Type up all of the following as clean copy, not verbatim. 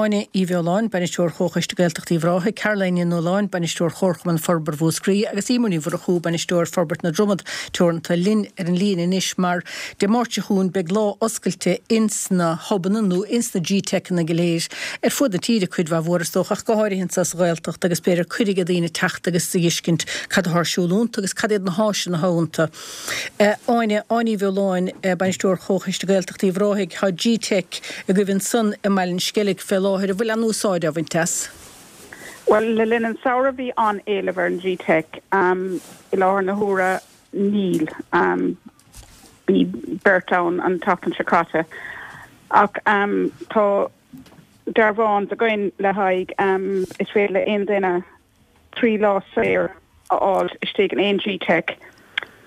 Áine Uí Bheoláin, Bainisteoir Chomhchoiste Gaeltacht Uíbh Ráthaigh, Caroline Ní Nualláin, Bainisteoir Chomharchumann Forbartha Mhúscraí agus Eimear Ní Mhurchú, Bainisteoir Forbairt na Dromad Teoranta linn ar an líne anois mar Dé Máirt seo chugainn beidh lá oscailte ins na hubanna nó ins na G-Teiceanna go léir ar fuaid na tíre, cuid mhaith mhór is dócha ach go háirithe anseo sa Ghaeltacht agus b'fhéidir cuireadh ag daoine teacht agus a dh'fheiscint cad atá ar siúl iontu agus cad iad na háiseanna atá iontu. Áine, Áine Uí Bheoláin, Bainisteoir Chomhchoiste Gaeltacht Uíbh Ráthaigh, Tá G-Teic agaibh ansan i mBaile an Sceilg fé láthair, an bhfuil aon úsáid á bhaint as? Bhuel, le linn an samhradh bhí an-éileamh ar an G-Teic. I láthair na huaire níl. Bhí beirt ann an tseachtain seo caite. Ach tá dearbhán againn le haghaidh, is féidir le aon duine 3 lá saor a fháil istigh in aon G-Teic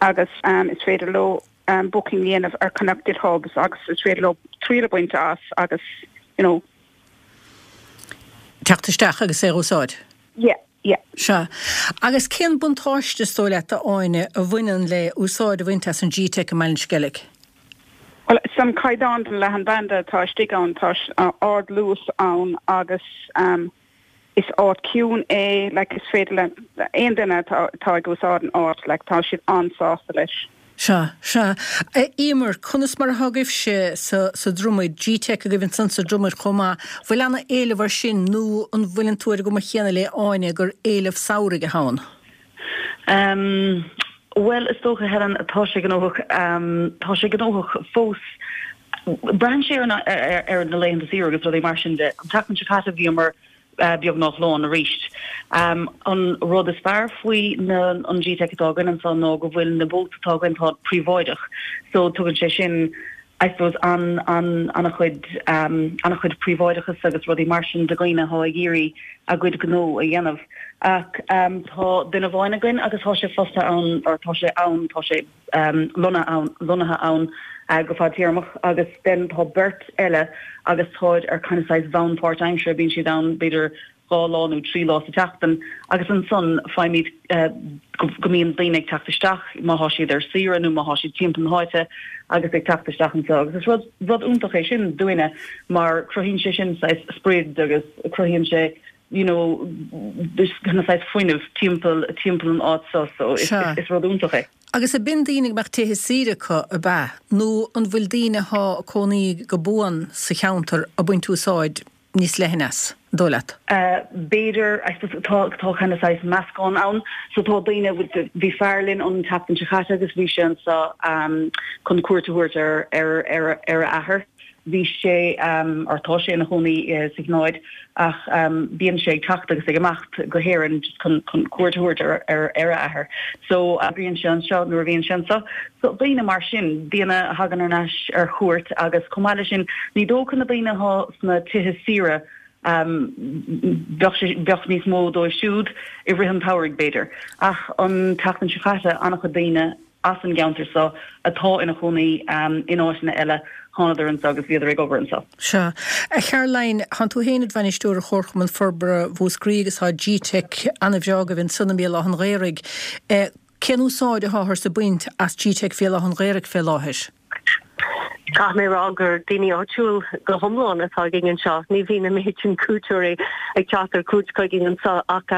agus is féidir leo booking a dhéanamh ar Connected Hubs agus is féidir leo triail a bhaint as agus you know. teacht isteach agus é a úsáid. Yeah, yeah. Sea. Agus cén buntáiste is dóigh leat, a Áine, a bhaineann le úsáid a bhaint as an G-Teic i mBaile an Sceilg? Bhuel, is an caighdeán den leathanbhanda atá istigh ann, tá ard-luas ann agus Is áit ciúin é, like, is féidir le aon duine atá atá ag úsáid an áit, like, tá siad an-sásta leis. Sea, sea. A Eimear, conas mar atá agaibhse sa, sa Dromaid, G-Teic agaibh ansan sa Dromaid chomh maith, bhfuil ana-éileamh air sin nó an bhfuileann tú ar an gcuma chéanna le Áine gur éileamh samhraidh atá ann? Em, bhuel, is dócha, Helen, tá sé gnóthach, em, tá sé gnóthach fós. Braitheann sé ar ar na laethanta saoire agus rudaí mar sin de. An tseachtain seo caite bhíomar beagnach lán arís. An rud is fearr faoi na an G-Teic atá againn anseo ná go bhfuil na booths atá againn tá príobháideach so tugann sé sin I suppose an an an-chuid an-chuid príobháideachas agus rudaí mar sin do dhaoine atá ag iarraidh a gcuid gnó a dhéanamh. Ach tá duine amháin againn agus tá sé fostaithe ann or tá sé ann tá sé lonnaithe ann go fadtéarmach agus then tá beirt eile agus táid ar kind of saghas bhonn páirtaimseartha, bíonn siad ann b'fhéidir 2 lá nó 3 lá sa tseachtain agus ansan faighimid go mbíonn daoine ag teacht isteach má thá siad ar saoire nó má thá siad timpeall na háite agus ag teacht isteach anseo agus is rud rud iontach é sin dúinne mar cruthaíonn sé sin saghas sprid agus cruthaíonn sé you know, kind of saghas fuinneamh timpeall timpeall an áit seo so is is rud iontach é. Agus ab in daoine go mbeadh tithe saoire acu, ab ea? Nó an bhfuil daoine athá ag cónaí go buan sa cheantar ag baint úsáid níos leithne as, an dóigh leat? B'fhéidir, I suppose tá tá kind of saghas meascán ann. So tá daoine, bhí fear linn an tseachtain seo caite agus bhí sé anseo chun cuairt a thabhairt ar ar ar ar a athair. Bhí sé, or tá sé ina chónaí sa Chineáid ach bíonn sé ag teacht agus ag imeacht go hÉirinn just chun chun cuairt a thabhairt ar ar ar a athair. So oibríonn sé anseo nuair a bhíonn sé anseo. So daoine mar sin, daoine a thagann ar ais ar chuairt agus chomh maith leis sin ní dócha na daoine atá sna tithe saoire bheadh sé bheadh níos mó dóibh siúd i rith an tsamhraidh b'fhéidir. Ach an tseachtain seo caite an-chuid daoine as an gceantar seo atá ina chónaí in áiteanna eile, thánadar anseo agus bhíodar ag obair anseo. Sea. A Charoline, thánn tú féin id bhainisteoir ar Chomharchumann Forbartha Mhúscraí agus tá G-Teic ana-bhreá agaibh ansan i mBéal Átha an Ghaorthaidh. Cén úsáid atháthar ag baint as G-Teic Bhéal Átha an Ghaorthaidh fé láthair? Caithfidh mé a rá gur daoine áitiúil go hiomlán atá againn anseo. Ní bhíonn an méid sin cuairteoirí ag teacht ar cuairt chugainn anseo ach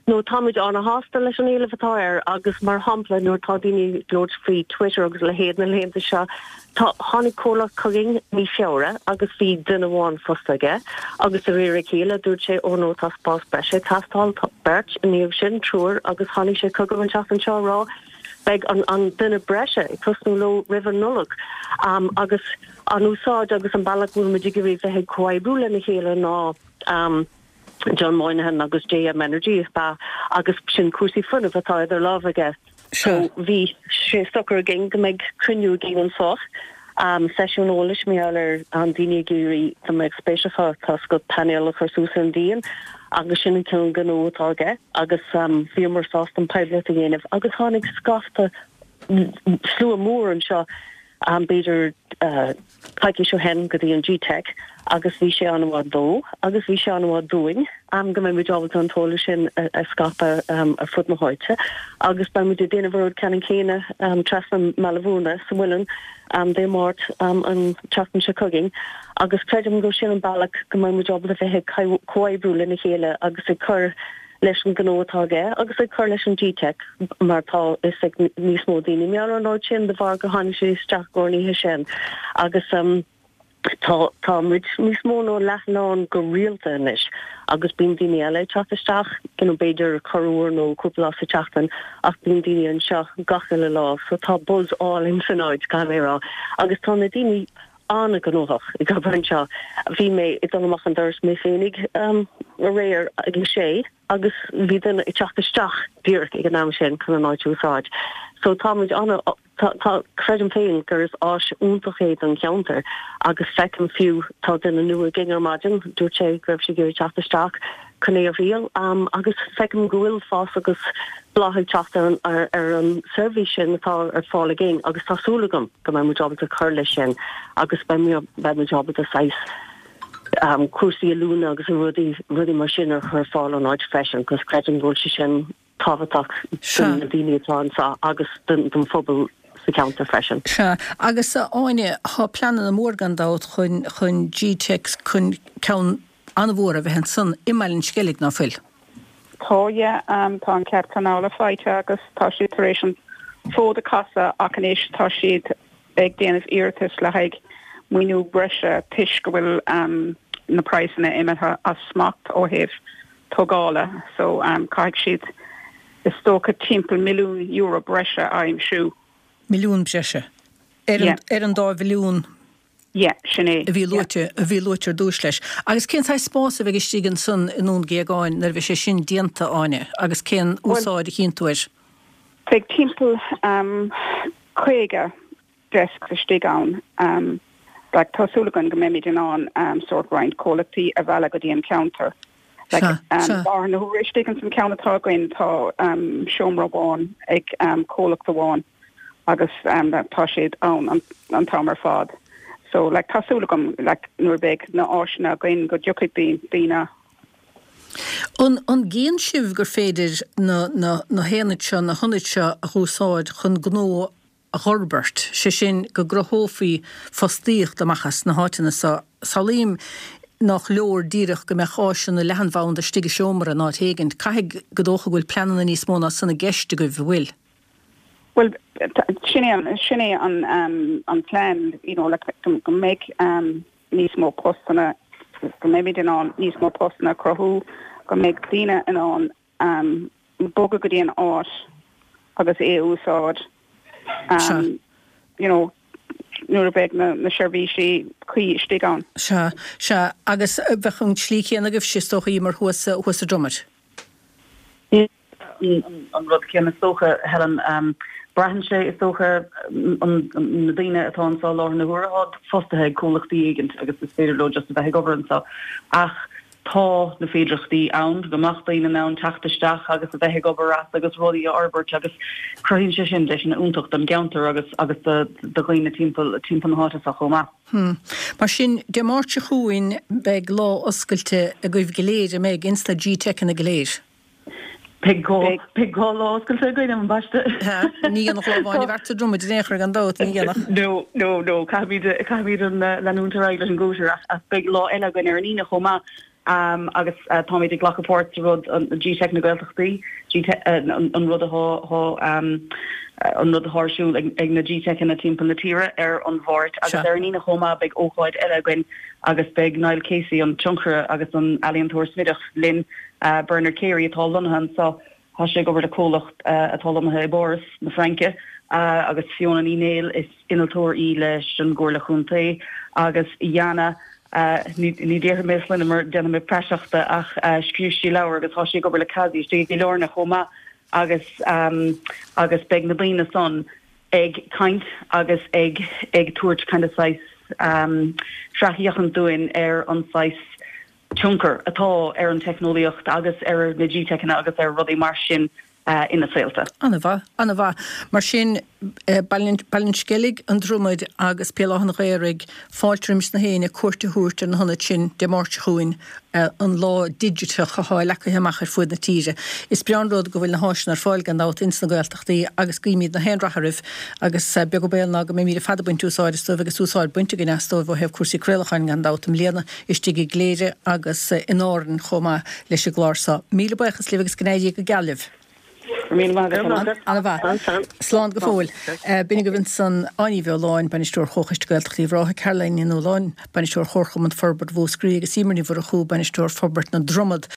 no táimid ana-shásta leis an éileamh atá air agus mar shampla nuair atá daoine ag labhairt faoi Twitter agus a leithéid na laethanta seo tá tháinig comhlacht chugainn mí Feabhra agus bhí duine amháin fostaithe aige agus de réir a chéile dúirt sé oh no tá spás breise ag teastáil tá beirt i ndiaidh sin triúr agus tháinig sé chugam an tseachtain seo a rá Beidh an duine breise ag tosnú leo roimh an Nollaig agus an úsáid agus an bealach go bhfuil muid ag iarraidh bheith ag comhoibriú lena chéile ná John Moynihan agus JM Energy is ea agus sin cúrsaí fuinnimh atá idir lámha aige. So bhí sé socair againn go mbeidh cruinniú againn anseo, seisiún eolais mar gheall ar an daoine ag iarraidh dá mbeadh spéis acu tá a fhios agat painéal a chur suas ar an díon agus sin an cineál gnó atá aige agus bhíomar sásta an poiblíocht a dhéanamh agus tháinig scaifte slua mór anseo. B'fhéidir coicís ó shin go dtí an GTeic agus bhí sé an-mhaith dó agus bhí sé an-mhaith dúinn go mbeidh muid ábalta an t-eolas sin a scaipeadh ar fud na háite agus beidh muid ag déanamh an rud ceannann céanna trasna i mBaile Bhúirne sa Mhuileann Dé Máirt an tseachtain seo chugainn agus creidim gur sin an bealach go mbeidh muid ábalta bheith ag comhoibriú lena chéile agus ag cur leis an ghnó atá aige agus ag cur leis an GTeic mar tá fhios ag níos mó daoine mar gheall ar an áit sin de bharr gur tháinig sé isteach i gcomhair an oíche sin agus tá tá muid níos mó ná leath lán go rialta anois agus bíonn daoine eile ag teacht isteach you know b'fhéidir corruair nó cúpla lá sa tseachtain ach bíonn daoine anseo gach uile lá so tá buzz álainn san áit caithfidh mé a rá agus tá na daoine an-ghnóthach ag obair anseo. Bhí mé ag dul amach an doras mé féinig aréir ag a sé agus bhí duine ag teacht isteach díreach ag an am sin chun an áit a úsáid. So tá muid an, tá, tá, creidim féin gur is áis iontach é don cheantar agus feicim fiú tá duine nua againn ar maidin, dúirt sé go raibh sé ag iarraidh teacht isteach chun é a thriail agus feicim go bhfuil fás agus bláth ag teacht ar an, ar an seirbhís sin atá ar fáil againn agus tá súil agam go mbeidh muid ábalta cur leis sin agus beidh muid ábalta saghas cúrsaí oiliúna agus rudaí, rudaí mar sin a chur ar fáil ón áit freisin, cos creidim go bhfuil sé sin tábhachtach do na daoine atá anseo agus don phobal sa cheantar freisin. Sea, agus a Áine, tá pleananna mór gan dabht chun, chun GTeic, chun ceann an-mhór a bheith ansan i mBaile an Sceilg, ná fuil? Tá, yeah. Tá an cead pleanála faighte agus tá siad tar éis an fód a chasadh ach anois tá siad ag déanamh iarratas le haghaidh maoiniú breise toisc go bhfuil na praghsanna imithe as smacht ó thaobh tógála so caithfidh siad is dócha timpeall €1 milliún breise a aimsiú. Milliún breise? Ar an dá mhilliún Yeah, sin é. a bhí luaite, a bhí luaite ar dtúis leis. Agus cén saghas spás a bheidh istigh ansan i nDún Géagáin nuair a bheidh sé sin déanta, Áine, agus cén úsáid a chíonn tú air? Beidh timpeall 50 desks istigh ann. Like, tá súil againn go mbeimid in ann sórt roinnt comhlachtaí a mhealladh go dtí an ceantar. Like, i láthair na huaire istigh ins an ceann atá againn tá seomra amháin ag comhlacht amháin agus tá siad ann an t-am ar fad. So, like, tá súil agam, like, nuair a bheidh na áiseanna againn go dtiocfaidh daoine. An an gcíonn sibh gur féidir na na na haonaid seo, na hionaid seo a dh'úsáid chun gnó a dh'fhorbairt, sé sin go gcruthófaí fostaíocht amach as na háiteanna so. Samhlaím nách leor díreach go mbeadh áiseanna leathanbhanda istigh i seomra in áit éigint. Caithfidh go dócha go bhfuil pleananna níos mó ná san i gceist agaibh, an bhfuil? Bhuel, sin é an, sin é an, an plean, you know, like, go mbeidh níos mó postanna, go mbeimid in ann níos mó postanna a chruthú, go mbeidh daoine in ann bogadh go dtí an áit agus é a úsáid you know nuair a bheidh na seirbhísí cuí istigh ann. Sea, sea. Agus bheadh an tslí chéanna agaibhse is dócha Emer thuas, thuas sa Dromad? An rud céanna is dócha, Helen. Braitheann sé is dócha na daoine atá anseo i láthair na huaire, táid fostaithe ag comhlachtaí éigint agus is féidir leo just a bheith ag obair anseo ach Tá na féidireachtaí ann go mbeadh daoine in ann teacht isteach agus a bheith ag obair as agus rudaí a fhorbairt agus cruthaíonn sé sin deiseanna iontach don gceantar agus agus do dhaoine timpeall timpeall na háite seo chomh maith. Hm. Mar sin, Dé Máirt seo chugainn beidh lá oscailte agaibh go léir, an mbeidh, ins na GTeiceanna go léir? Beidh beidh lá oscailte againn ambaiste. Ní dhéanfadh lá amháin i bhfeart sa Dromad in aon chor gan dabht, ní dhéanfadh. No, no, no, caithfimid, caithfimid an leanúint ar aghaidh leis an gcóisir ach ach beidh lá eile againn ar an Aoine chomh maith agus táimid ag glacadh páirt sa rud, an GTeic na Gaeltachtaí, GTeic, an rud atá, an rud atá ar siúl ag ag na GTeiceanna timpeall na tíre ar an Mháirt agus ar an Aoine chomh maith beidh ócáid eile againn agus beidh Niall Casey, an tionchaire agus an ealaíontóir smideach linn. Bernard Carey atá lonnaithe anseo, tá sé ag obair le comhlacht atá lonnaithe i bPáras na Fraince, agus Fiona Ní Néill, is innealtóir í leis an gComhairle Chontae, agus Jana, ní déarfaidh mé a sloinne mar déanfaidh mé praiseach de, ach scríobh sí leabhar agus tá sí ag obair le CASI istigh i gCill Airne chomh maith agus agus beidh na daoine san ag caint agus ag ag tabhairt kind of saghas sracfhéachaint dúinn ar an saghas tionchar atá ar an teicneolaíocht agus ar na GTeiceanna agus ar rudaí mar sin. Ina saolta. An-mhaith, an-mhaith. Mar sin, Baile an Sceilg, An Dromaid agus Béal Átha an Ghaorthaidh, fáilte roimis na héinne cuairt a thabhairt ar na hionaid sin Dé Máirt seo chugainn, an lá digiteach atá leagtha amach ar fuaid na tíre. Is breá an rud go bhfuil na háiseanna ar fáil gan dabht ins na Gaeltachtaí agus guímid na haon rath oraibh agus beag an baol ná go mbeimid ar fad ag baint úsáid astóibh agus úsáid bainte againn astóibh ó thaobh cúrsaí craolacháin gan dabht i mbliana. istigh i gCléire agus in Árainn chomh maith leis an gclár seo. Míle buíochas libh agus go n-éirí go geal libh. Go raibh míle maith agat. An-mhaith. Slán go fóill. B'in agaibh ansan Áine Ní Bheoláin, Bainisteoir Chomhchoiste Gaeltachta Uíbh Ráthaigh, Caroline Ní Nualláin, Bainisteoir Chomharchumann Forbartha Mhúscraí agus Emer Ní Mhurchú, Bainisteoir Forbairt na Dromad.